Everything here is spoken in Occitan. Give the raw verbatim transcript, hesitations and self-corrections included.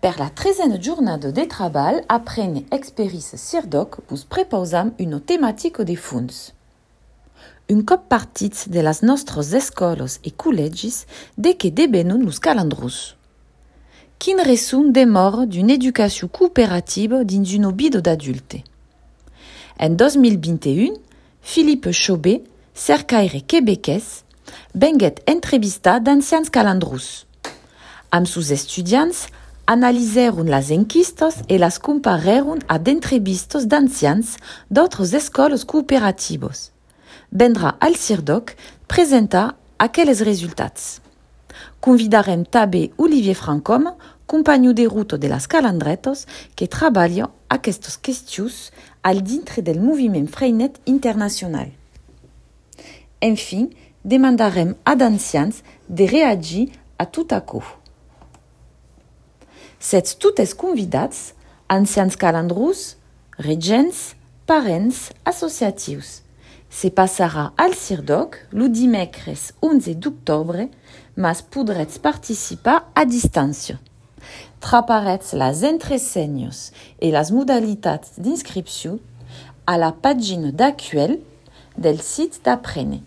Per la tresena jornada de trabalh Aprene Experiéncia CIRDÒC vos prepausam una tematica de fons. Un còp partits de las nòstras escòlas e collègis, de qué devenon los calandrons? Quin resson demòra d'una educacion cooperativa dins una vida d'adulte? En dos mil vint e un, Philippe Chaubet, cercaire quebequés, venguèt entrevistar d'ancians calandrons. Amb sos estudiants, analisèron las enquistas e las comparèron a d'entrevistas d'ancians d'autras escòlas cooperativas. Vendrà al CIRDÒC presentar aqueles resultats. Convidarem tanben Olivier Francom, companhon de rota de las Calandretas, que trabalha aquestas questions al dintre del moviment Freinet internacional. Enfin, demandarem a d'ancians de reagir a tot aquò. Sètz totes convidats, ancians calandrons, regents, parents, associatius. Se passarà al CIRDÒC lo dimècres onze d'octòbre, mas podrètz participar a distància. Traparetz las entresenhas e las modalitats d'inscripcion a la pagina d'accueil del sit d'Aprene.